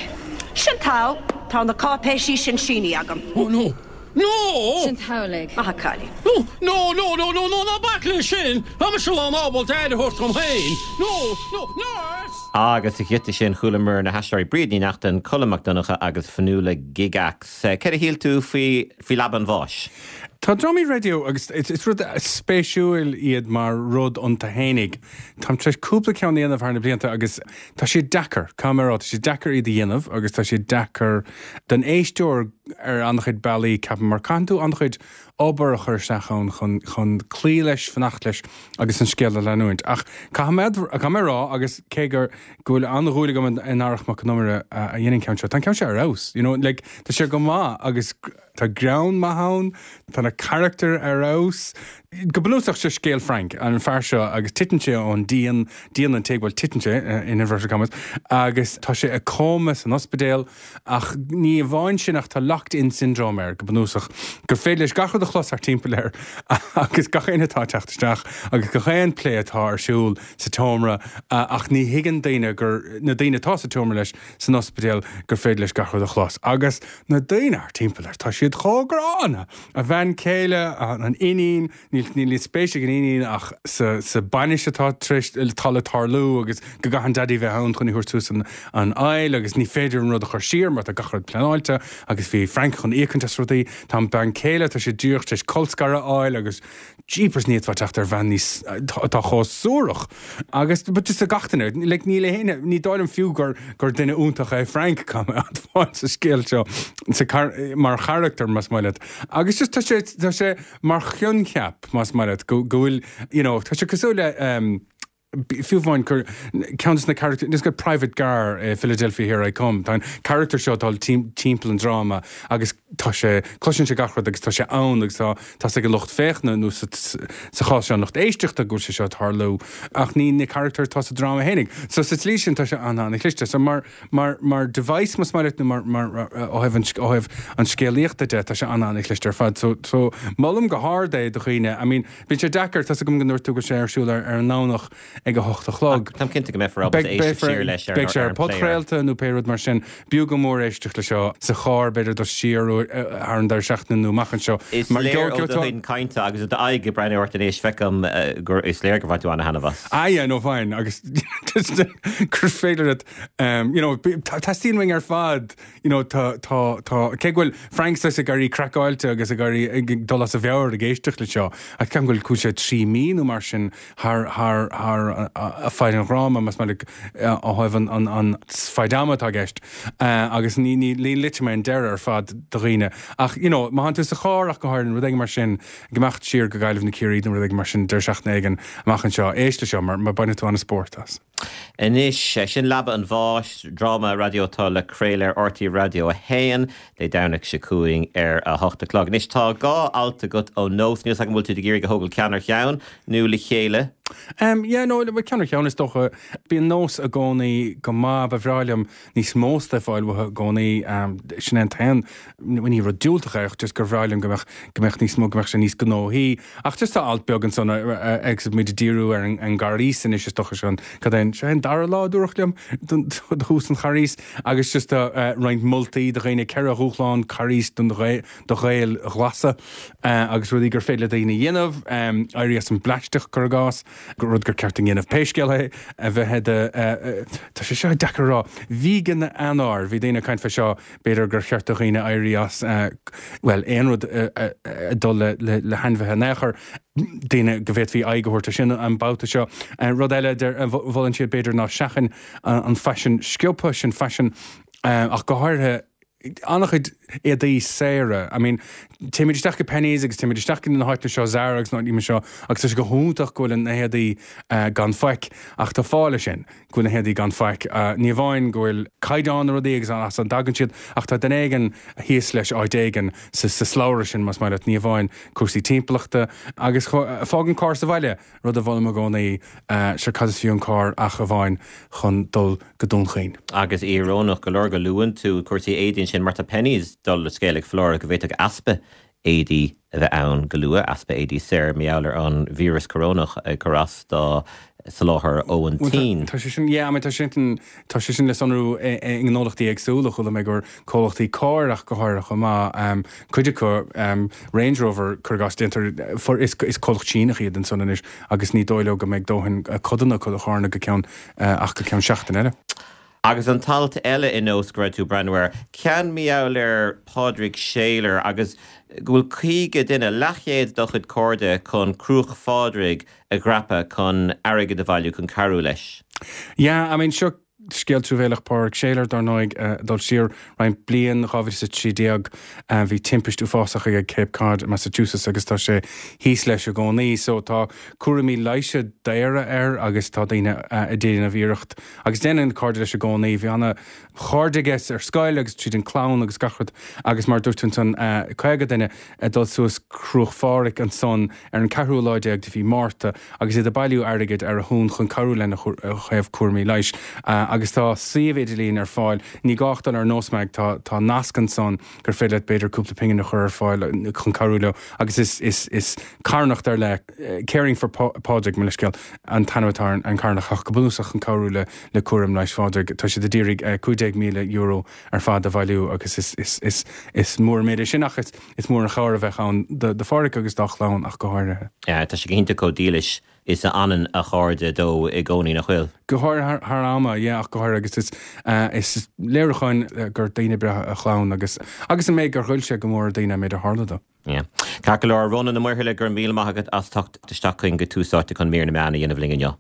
Sin togha, tá na cáipéisí sin sínithe agam. Oh no! No! Sin amhlaidh. Maith a chailín. No! No! No! No! No! No! Ná bac leis sin! Tá mise lán ábalta aire a thabhairt dom féin! No! No! Nurse! Agus sa ghiota sin chualamar na haisteoirí Bríd Ní Neachtain, Colm Mac Donncha agus Fionnuala Gygax. Céard a shíl tú faoi faoi Leaba an Bháis? Tá drámaí raidió agus is rud spéisiúil iad mar rud iontu fhéinig. Táim tar éis cúpla ceann a dhéanamh thar na blianta agus tá siad deacair, caithfidh mé a rá, tá siad deacair iad a dhéanamh agus tá siad deacair don éisteoir ar an-chuid bealaí, ceapaim, mar caitheann tú an-chuid obair a chur isteach ann chun chun cloí leis, fanacht leis agus an scéal a leanúint. Ach caithfidh mé caithfidh mé a rá agus cé gur go bhfuil an-dhúil agam in Arach Mac Con Iomaire a dhein an ceann seo, tá an ceann seo ar fheabhas, you know, like, tá sé go maith agus tá greann maith ann, tá na carachtair ar fheabhas. Go bunúsach seo scéal Frank, an fear seo, agus titeann sé ón díon, díon an tigh, bhuel titeann sé in inverted commas, agus tá sé i cóma san ospidéal ach ní amháin sin ach tá locked-in syndrome air go bunúsach, gur féidir leis gach rud a chlos thart timpeall air agus gach aon atá ag teacht isteach agus gach aon plé atá ar siúl sa tseomra ach ní thuigeann daoine gur, na daoine atá sa tseomra leis san ospidéal gur féidir leis gach rud a chlos. Agus na daoine thart timpeall air, tá siad chomh gránna! A bhean chéile, an iníon, níl níl spéis ag an iníon ach sa sa bainis atá tar éis, atá le tarlú agus go gcaithfidh an daidí bheith ann chun í a thabhairt suas an an aill agus ní féidir an rud a chur siar mar tá gach rud pleanáilte agus bhí Frank chun íocaint as rudaí. Tá an bean chéile, tá sé díreach tar éis colscaradh a fháil agus jeepers ní fhéadfá teacht ar bhean níos, atá chomh suarach agus but just gach duine, like níl éinne, ní dóigh liom fiú gur gur duine iontach é Frank, caithfidh mé admháil sa scéal seo sa mar charachtar más maith leat. Agus just tá sé tá sé mar choincheap más maith leat go go bhfuil you know tá sé cosúil le um, fiú amháin gur ceann de na carachtair, is go Private Gar i Philadelphia Here I Come, tá an carachtar seo ag dul timpeall an dráma agus tá sé, cloiseann sé gach rud agus tá sé ann agus tá tá ag an lucht féachana nó sa chás seo an lucht éisteachta go bhfuil sé seo ag tarlú ach ní na carachtair atá sa dráma fhéinig. So sa tslí sin tá sé an-an-chliste. So mar mar mar device más maith leat nó mar mar ó thaobh an ó thaobh an scéalaíochta de tá sé an-an-chliste ar fad. So so molaim go hard é do dhaoine. I mean bíonn sé deacair tá a fhios agam go ndúirt tú go bhfuil sé ar siúl ar ar an nDomhnach ag a hocht a chlog. Táim cinnte go mbeifear ábalta éisteacht siar leis ar Beidh sé ar podchraolta nó pé rud mar sin. B'fhiú go mór éisteacht le seo sa charr, b'fhéidir dul siar thar an deireadh seachtaine nó amach anseo. Is léir ó do chuid cainte agus ó d'aghaidh ag breathnú ort anois, feicim gur is léir gur bhain tú an-thaitneamh as. Ah yeah, no fine agus gur féidir leat you know teastaíonn uainn ar fad you know tá tá tá cé go bhfuil Frank saghas ag éirí craiceáilte agus ag éirí ag dul as a mheabhair ag éisteacht le seo ach ceapaim go bhfuil sé trí mí nó mar sin thar thar thar faid an dhráma más maith leat ó thaobh an an an faid ama atá i gceist agus ní ní ní loitfidh mé an deireadh ar fad do dhaoine ach you know má tánn tú sa charr ach go háirithe rud éigin mar sin ag imeacht siar go Gaillimh nó Ciarraí nó rud éigin mar sin deireadh seachtaine éigin amach anseo éist le seo mar mar bainfidh tú an-spórt as. Anois, sin Leaba an Bháis, dráma raidió atá le craoladh ar RTÉ Raidió a haon Dé Domhnaigh seo chugainn ar a hocht a chlog. Anois tá dhá alt agat ó Nós, níl 's agam an bhfuil tú ag iarraidh a thógáil ceann ar cheann nó le chéile? Um, yeah, no, ceann ar cheann is dócha. Bíonn Nós i gcónaí go maith, ba bhreá liom níos mó stuif a fháil uathu i gcónaí. Um, sin é an t-aon, ní rud diúltach é, ach just gur bhreá liom go mbeadh, go mbeadh níos mó, go mbeadh sé níos gnóthaí. Ach just tá alt beag ansan agus muid ag díriú ar an, an gCarghas anois is dócha seo an, cad é an, seo é an dara lá a dúradh liom don, do thús an Charghais agus just tá uh, roinnt moltaí do dhaoine ceithre dhúshlán Carghais don Ghael, do Ghaeil ghlasa uh, agus rudaí gur féidir le daoine a dhéanamh, um, éirí as an bplaisteach cuir i gcás, rud gur ceart a dhéanamh pé scéal é a bheith de tá sé seo deacair a rá. Vegan Eanáir, bhí daoine ag caint fé seo, b'fhéidir gur cheart do dhaoine éirí as bhuel aon rud ag dul le le hainmhithe in aon chor, daoine go bhféadfaí aghaidh a thabhairt air sin an babhta seo. Rud eile a mholann siad b'fhéidir ná seachain an faisean sciobtha sin faisean ach go háirithe an-chuid éadaí saora. I mean, téimid isteach go Penneys agus téimid isteach go na háiteanna seo, Zara agus na háiteanna seo agus tá sé go hiontach go bhfuil na héadaí gan faic ach tá fáth leis sin, go bhfuil na héadaí gan faic. Ní amháin go bhfuil caighdeán na rudaí agus as a dtagann siad ach tá duine éigin thíos leis áit éigin sa sa slabhra sin más maith leat, ní amháin cúrsaí timpeallachta agus fág an carr sa bhaile, rud a mholaim i gcónaí, sure cad is fiú an carr ach amháin chun dul go Dún Chaoin. Agus íorónach go leor go luann tú cúrsaí éadaí ansin mar tá Penneys dul le scéal ag foláireamh go bhféadfadh easpa éadaí a bheith ann go luath, easpa éadaí saor mar gheall ar an víreas corónach ag cur as do soláthar ón tSín. Tá sé sin, yeah, I mean, tá sé sin, tá sé sin le sonrú i ngnólachtaí éagsúla, chuala mé gur comhlachtaí cairr ach go háirithe chomh maith, um, cuid acu, um, Range Rover, cuir i gcás, déantar, for, is, is comhlacht Síneach iad ansan anois agus ní dóigh leo go mbeidh dóthain codanna acu do charranna go ceann, uh, ach go ceann seachtain eile. Agus an t-alt eile i Nós go raibh tú ag breathnú air, ceann mar gheall ar Pádraig Shayler agus go bhfuil caoga duine, leathchéad dá chuid cairde chun Cruach Phádraig a dhreapadh chun airgead a bhailiú chun cabhrú leis. Yeah, I mean, seo scéal truamhéalach Pádraig Shayler dar ndóigh ag dul siar roinnt bliain, dhá mhíle is a trí déag, bhí timpist uafásach aige ag Cape Cod, Massachusetts agus tá sé thíos leis i gcónaí. So tá cúraimí leighis daora air agus tá daoine ag déanamh iarracht agus déanann cairde leis i gcónaí. Bhí ana chairde aige ar scoil agus tríd an clann agus gach rud agus mar dúirt tú ansan caoga duine ag dul suas Cruach Phádraig ansan ar an ceathrú lá déag de mhí Márta agus iad ag bailiú airgid ar a shon chun cabhrú lena thaobh cúraimí leighis agus tá suíomh idirlín ar fáil. Ní gá ach dul ar NósMag, tá tá nasc ansan gur féidir leat b'fhéidir cúpla pingin a chur ar fáil chun cabhrú leo agus is is is carthanacht ar leith Caring for Pádraig, mo leithscéal, an t-ainm atá ar an charthanacht ach go bunúsach chun cabhrú le le cúram leighis Phádraig. Tá siad ag iarraidh cúig déag míle euro ar fad a bhailiú agus is is is is mór an méid é sin ach is is mór an chabhair a bheadh ann do do Phádraig agus dá chlann ach go háirithe. Tá sé go hiontach chomh dílis is a fhanann a chairde dó i gcónaí, nach bhfuil? Go háirithe thar ama, yeah, ach go háirithe agus is is léiriúchán gur daoine breátha a chlann agus agus an méid gur ghoill sé go mór ar daoine an méid a tharla dó. Yeah. Ceart go leor, Rónán Ó Muirthile, go raibh míle maith agat as teacht isteach chugainn go Tús Áite chun mír na meán a dhéanamh linn inniu.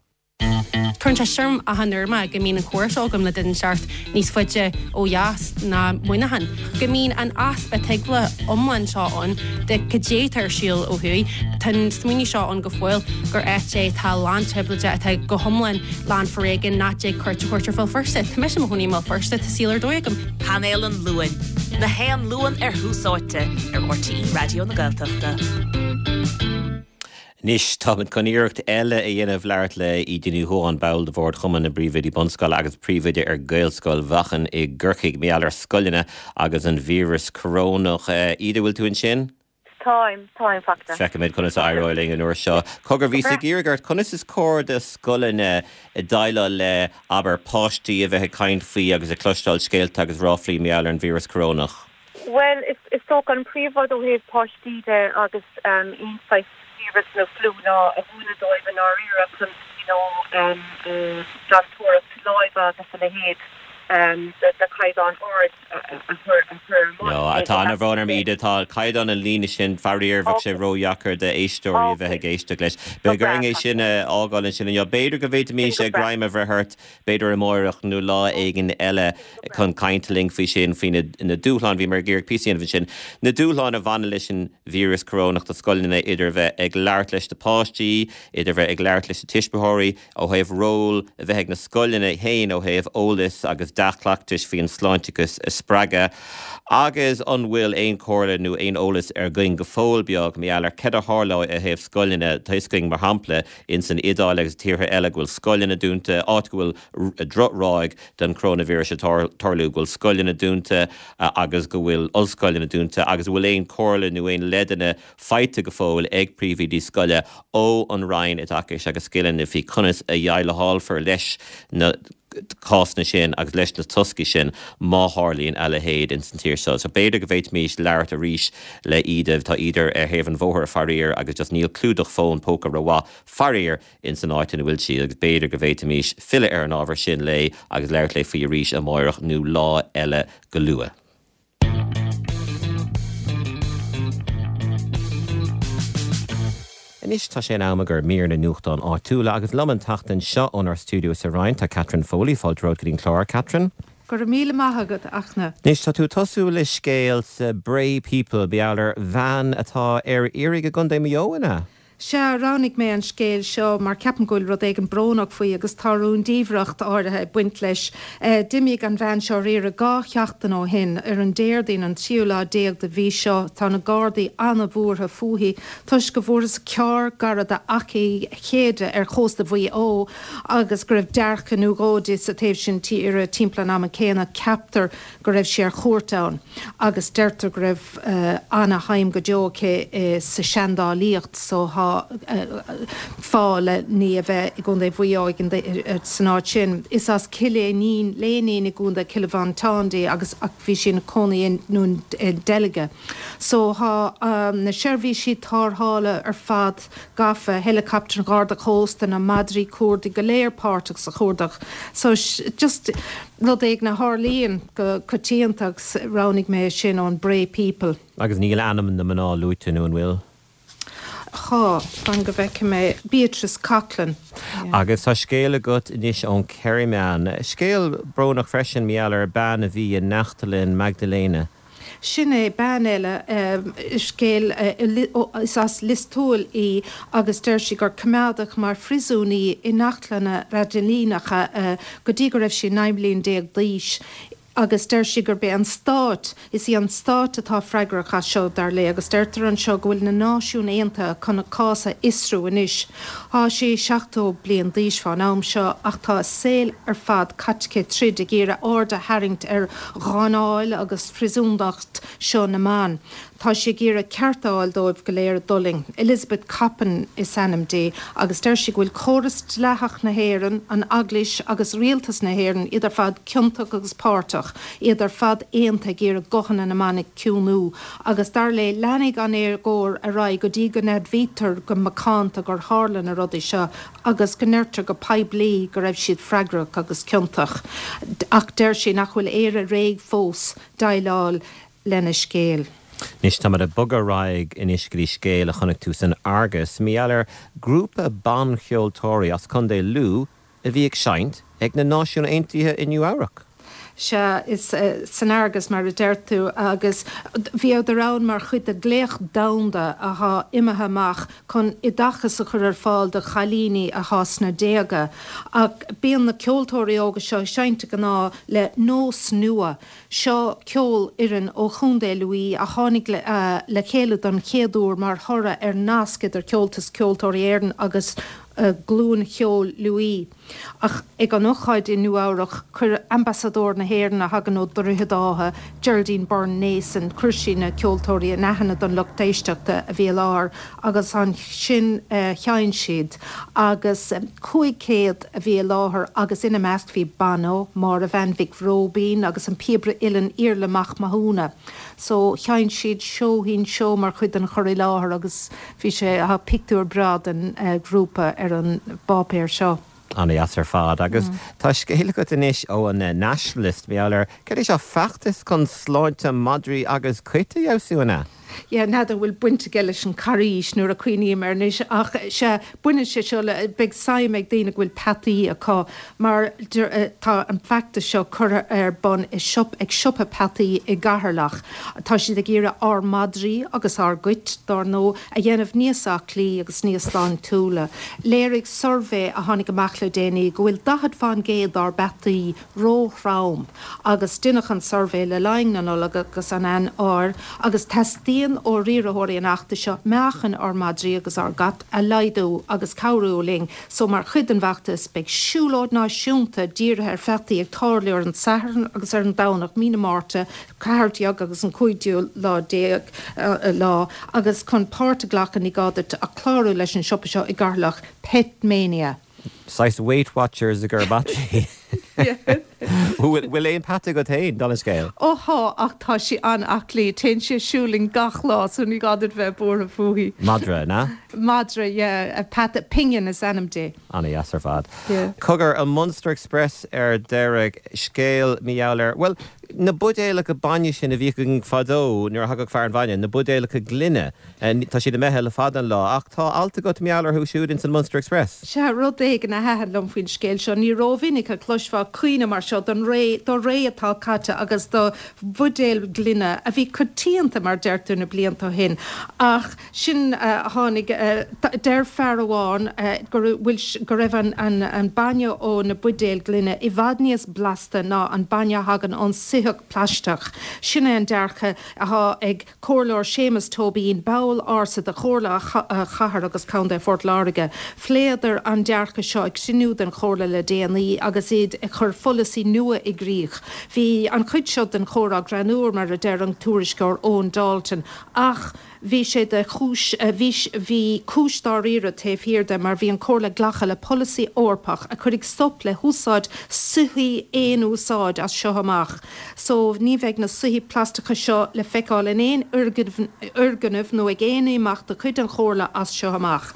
Cuireann sé orm achan uair mé go mbíonn an comhrá seo agam le duine inteacht níos faide ó dheas ná Muineachán. Go mbíonn an easpa tuigbheála iomlán seo ann de cad é atá ar siúl ó thuaidh. Tá an smaoineamh seo ann go fóill gur áit é atá lán trioblóide, atá go hiomlán lán foréigin, nach dtig cuairt a thabhairt ar Bhéal Feirste. Tá mise i mo chónaí i mBéal Feirste, tá saol ar dóigh agam. Painéal an Luain, na haon Luan ar Thús Áite ar R T E Raidió na Gaeltachta. Anois táimid chun iarracht eile a dhéanamh labhairt le Íde Ní Dhubháin, ball de bhord Chumann na bPríomhoidí Bunscoile agus príomhoide ar Ghaelscoil Mhachain i gCorcaigh, mar gheall ar scoileanna agus an víreas corónach. Íde, bhfuil tú ansin? Táim, táim fachta. Feicfimid conas a éireoidh linn an uair seo. Cogar, bhíos ag iarraidh ort, conas is cóir do scoileanna déileáil le abair páistí a bheith ag caint faoi agus ag cloisteáil scéalta agus ráflaí mar gheall ar an víreas corónach? Well, is, is dócha an príomhrud ó thaobh páistí de agus um, aon saghas víreas nó fliú ná a mhúineadh dóibh i ndáiríre chun you know, um, uh, glantóireacht láimhe agus a leithéid um, de, de caighdeán ard a a chur a chur ar No, atá an bhrón orm Íde tá caighdeán an líne sin faraor bheadh sé ródheacair d'éisteoirí a bheith ag éisteacht leis. Beidh orainn é sin a fhágáil ansin inniu. B'fhéidir go bhféadfaimis greim a bheith ort b'fhéidir amárach nó lá éigin eile chun caint linn faoi sin faoi na, na dúshláin bhí mar gur pí sin na dúshláin a bhaineann leis an víreas corónach do scoileanna idir bheith ag labhairt leis na páistí, idir bheith ag labhairt leis na tuismitheoirí ó thaobh ról a bheith ag na scoileanna féin ó thaobh eolas agus dea-chleachtais faoin sláinteachas a spreagadh. Agus an bhfuil aon chomhairle nó aon eolas againn go fóill beag mar gheall ar cad a tharlóidh ó thaobh scoileanna tuiscing mar shampla in san Iodáil agus tíortha eile go bhfuil scoileanna dúnta áit go bhfuil drochráig den coronavirus ag tarlú go bhfuil scoileanna dúnta agus go bhfuil ollscoileanna dúnta agus bhfuil aon chomhairle nó aon leideanna faighte go fóill ag príomhoidí scoile ó an Roinn Oideachais agus Scileanna faoi conas a dhéileálfar leis na cásanna sin agus leis na toscaí sin má tharlaíonn a leithéid in san tír seo. So b'fhéidir go bhféadfaimis labhairt arís le Íde tá Íde ar thaobh an bhóthair faraor agus just níl clúdach fón póca rómhaith faraor in san áit ina bhfuil sí agus b'fhéidir go bhféadfaimis filleadh ar an ábhar sin léi agus labhairt léi faoi arís amárach nó lá eile go luath. Anois tá sé in am do mhír na nuachtán áitiúla agus liom an tseachtain seo ónár stiúideo sa Rinn tá Catherine Foley fáilte romhat go dtí an clár Catherine. Go raibh míle maith agat Fhachtna. Anois tá tú tosú le scéal sa Bray People mar gheall ar bhean atá ar iarraidh i gContae Mhaigh Eo ina. Sea roghnaigh mé an scéal seo mar ceapaim go bhfuil rud éigin brónach faoi agus tá rúndiamhracht áirithe ag baint leis. Uh, D'imigh an bhean seo ar iarraidh dhá sheachtain ó shin ar an Déardaoin an tríú lá déag de mhí seo tá na Gardaí an-bhuartha fúithi toisc go bhfuarthas carr gar d'Achadh Chéide ar chósta Mhaigh Eo agus go raibh dearcadh nó dhó di sa taobh sin tíre timpeall an ama céanna ceaptar go raibh sí ar cuairt ann agus deirtear go raibh uh, an-shuim go deo aici uh, sa seandálaíocht so tá fáth le ní a bheith i gContae Mhaigh Eo san áit sin. Is as Cill Léinín Léinín i gContae Chill Mhantáin di agus ach bhí sí ina cónaí i nDún Dealgan. So tá um, na seirbhísí tarrthála ar fad gafa helicopter Garda Cósta na madraí cuardaigh go léir páirteach sa chuardach. So just rud éigin a tharlaíonn go coitianta agus roghnaigh mé sin ón Bray People. Agus níl ainm na mná luaite nó an bhfuil? Tá, fan go bhfeicfidh mé, Beatrice Coghlan. Agus tá scéal agat anois ón Kerryman. Scéal brónach freisin mar gheall ar bean a bhí i Neachtlann Magdalena. Sin é, bean eile, scéal, is as Lios Tuathail í agus deir sí gur coimeádadh mar phriosún í i neachtlanna Mhaigdiléanacha go dtí go raibh sí naoi mbliana déag d'aois agus deir sí gurb é an stát, is í an stát atá freagrach as seo, dar léi, agus deirtear anseo go bhfuil na Náisiúin Aontaithe chun a cás a fhiosrú anois. Tá sí seachtó bliain d'aois fán am seo ach tá a saol ar fad caite aici troid ag iarraidh aird a tharraingt ar gháinneáil agus phriosúnacht seo na mban. Tá sí ag iarraidh cearta a fháil dóibh go léir a d'fhulaing. Elizabeth Coppin is ainm di agus deir sí go bhfuil córas dleathach na hÉireann, an Eaglais agus rialtas na hÉireann, iad ar fad ciontach agus páirteach, iad ar fad aontaithe ag iarraidh guthanna na mban a chiúnú. Agus dar léi, leanfaidh an éagóir ar aghaidh go dtí go n-admhaítear go macánta gur tharla na rudaí seo agus go ndeirtear go poiblí go raibh siad freagrach agus ciontach. Ach deir sí nach bhfuil Éire réidh fós déileáil lena scéal. Anois táimid ag bogadh ar aghaidh anois go dtí scéal a chonaic tú san Argus, mar gheall ar grúpa bancheoltóirí as Contae Lú a bhí ag seinnt ag na Náisiúin Aontaithe i Nua Eabhrac. Sea, is san Argus mar a deir tú, agus bhíodar ann mar chuid de ghlaoch domhanda athá imithe amach chun oideachas a chur ar fáil do chailíní athá sna déaga. Ach bíonn na ceoltóirí óga seo ag seinnt de ghnáth le Nós Nua. Seo ceolfhoireann ó Chontae Lú a tháinig le chéile don chéad uair mar thoradh ar nasc idir Comhaltas Ceoltóirí Éireann agus Glúin Cheoil Lú. Ach ag an ócáid i Nua Eabhrac, chuir Ambasadóir na hÉireann a thagann ó Dhroichead Átha, Geraldine Byrne Nason, chuir sí na ceoltóirí in aithne don lucht éisteachta a bhí i láthair agus ansin sheinn siad agus cúig chéad a bhí i láthair agus ina measc bhí Bono, Máire Bhean Mhic Róibín agus an píobaire uilleann Iarla Mac Mathúna. So sheinn siad Seoithín Seó mar chuid den chur i láthair agus bhí sé, tá pictiúr breá den ghrúpa ar an bpáipéar seo. An-deas ar fad. Agus tá scéal agat anois ó an Nationalist, mar gheall ar, cad é seo, feachtas chun sláinte madraí agus cait a fheabhsú, an ea? Yeah, n'fheadar an bhfuil baint aige leis an carraois nuair a cuimhním air anois ach sea, baineann sé seo le, beidh suim ag daoine go bhfuil peataí acu mar tá an feachtas seo curtha ar bun i siopa, ag siopa peataí i gCeatharlach. Tá siad ag iarraidh ár madraí agus ár gcait, dár ndóigh, a dhéanamh níos aclaí agus níos sláintiúla. Léirigh suirbhé a tháinig amach le déanaí go bhfuil daichead fán gcéad dár bpeataí ró-throm agus deineadh an suirbhé le linn na Nollag agus an Eanáir agus teastaíonn ó riarthóirí an fheachtais seo meáchan ár madraí agus ár gcat a laghdú agus cabhrú linn so mar chuid den bhfeachtas beidh siúlóid náisiúnta dírithe ar pheataí ag tarlú ar an Satharn agus ar an Domhnach mí na Márta ceathair déag agus an cúigiú lá déag lá agus chun páirt a ghlacadh ní gá duit ach clárú leis an siopa seo i gCeatharlach, Pet Mania. Saghas Weight Watchers i gcomhair madraí. Bhfuil aon peata agat féin, dála an scéil? Ó thá, ach tá sí an-aclaí. Téann sí ag siúl linn gach lá so ní gá duit bheith buartha fúithi. Madra, an ea? Madra, yeah. Peata, Pingin is ainm di. An-dheas ar fad. Yeah. Cogar, an Munster Express ar deireadh, scéal mar gheall ar, bhuel, na buidéalacha bainne sin a bhíodh againn fadó nuair a thagadh fear an bhainne, na buidéalacha gloine, tá siad imithe le fada an lá, ach tá alt agat mar gheall orthu siúd ins an Munster Express. Sea, rud éigin a thaitin liom faoin scéal seo, ní rómhinic a chloisfeá caoineadh mar seo don ré, do ré atá caite agus do bhuidéil ghloine a bhí coitianta, mar deirtear, na blianta ó shin. Ach sin a tháinig, deir fear amháin go bhfuil, go raibh an, an, an bainne ó na buidéil ghloine i bhfad níos blasta ná an bainne a thagann ón soitheach plaisteach. Sin é an dearcadh atá ag Comhairleoir Séamus Tóibín, ball ársa de Chomhairle Chathair agus Contae Phort Láirge. Phléadar an dearcadh seo ag cruinniú den Chomhairle le déanaí agus iad ag cur pholasaí nua i gcrích. Bhí an chuid seo den chomhrá greannmhar, mar a deir an tuairisceoir Eoin Dalton, ach bhí sé de chúis, bhí, bhí cúis dáiríre taobh thiar de mar bhí an Chomhairle ag glacadh le polasaí Eorpach a chuirfidh stop le húsáid soithí aon úsáid as seo amach. So ní bheidh na soithí plaisteacha seo le feiceáil in aon fhoirgneamh nó ag aon imeacht de chuid an Chomhairle as seo amach.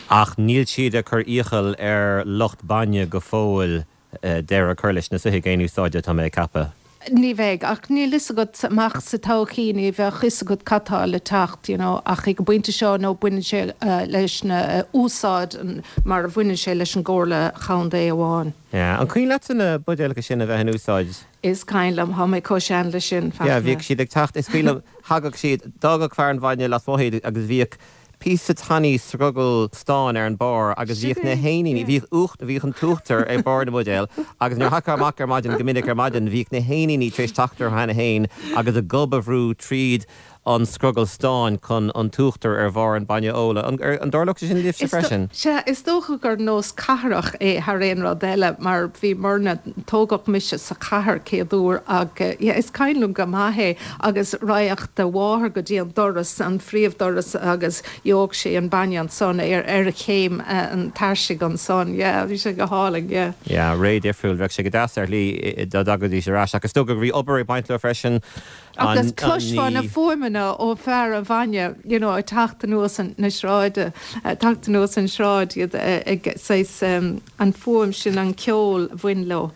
Ach níl siad ag cur iachall ar lucht bainne go fóill deireadh a chur leis na soithigh aon úsáide, tá mé ag ceapadh. Ní bheidh, ach níl fhios agat amach sa todhchaí, ní bheadh fhios agat cad tá le teacht, you know, ach ag an bpointe seo nó baineann sé leis na úsáid mar a bhaineann sé leis an gComhairle Chontae amháin. Yeah. An cuimhin leatsa na buidéalacha sin a bheith in úsáid? Is cuimhin liom, tá mé chomh sean le sin, Yeah, Fachtna. bhíodh siad ag teacht, is cuimhin liom, thagadh siad, d'fhágadh fear an bhainne lasmuigh iad agus bhíodh píosa tanaí scrogall stáin ar an barr agus bhíodh na héiníní, bhíodh uacht, bhíodh an t-uachtar ar barr na mbuidéal agus nuair a thiocfá amach ar maidin, go minic ar maidin, bhíodh na héiníní tar éis teacht orthu cheana féin agus a gob a bhrú tríd an scrogall stáin chun an t-uachtar ar bharr an bainne a ól. An, an dtarlódh sé sin libhse Is freisin? Sea, is dócha gur nós cathrach é thar aon rud eile mar bhí muirne, tógadh mise sa chathair céad uair ach yeah, is cuimhin liom go maith é agus raghadh do mháthair go dtí an doras, an phríomhdoras agus gheobhadh sí an bainne ansan ar ar chéim an tairsigh ansan, yeah, bhí sé go hálainn, yeah. Yeah, ré difriúil, bheadh sé go deas ar shlí dá dtagaidís ar ais ach is dócha go raibh obair ag baint leo freisin. Agus chloisfeá na fuaimeanna ó fear an bhainne, you know, ag teacht anuas na sráide, ag teacht anuas an sráid, iad ag saghas an fuaim sin, an ceol a bhain leo.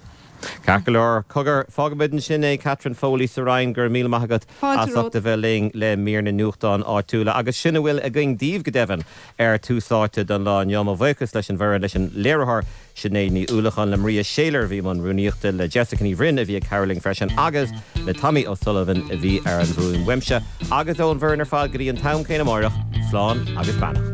Ceart go leor. Cogar, fágfaimid ansin é, Catherine Foley sa Rinn, go raibh míle maith agat Fáilte as ucht romhat. a bheith linn le mír na nuachtán áitiúla. Agus sin a bhfuil againn daoibh go deimhin ar Tús Áite don lá inniu. Mo bhuíochas leis an bhfoireann, leis an léiritheoir Sinéad Ní Uallacháin, le Maria Shayler a bhí i mbun rúnaíochta, le Jessica Ní Bhroin a bhí ag cabhrú linn freisin agus le Tommy O'Sullivan a bhí ar an bhfuaim uaimse. Agus ón bhfoireann ar fad go dtí an t-am céanna amárach, slán agus beannacht.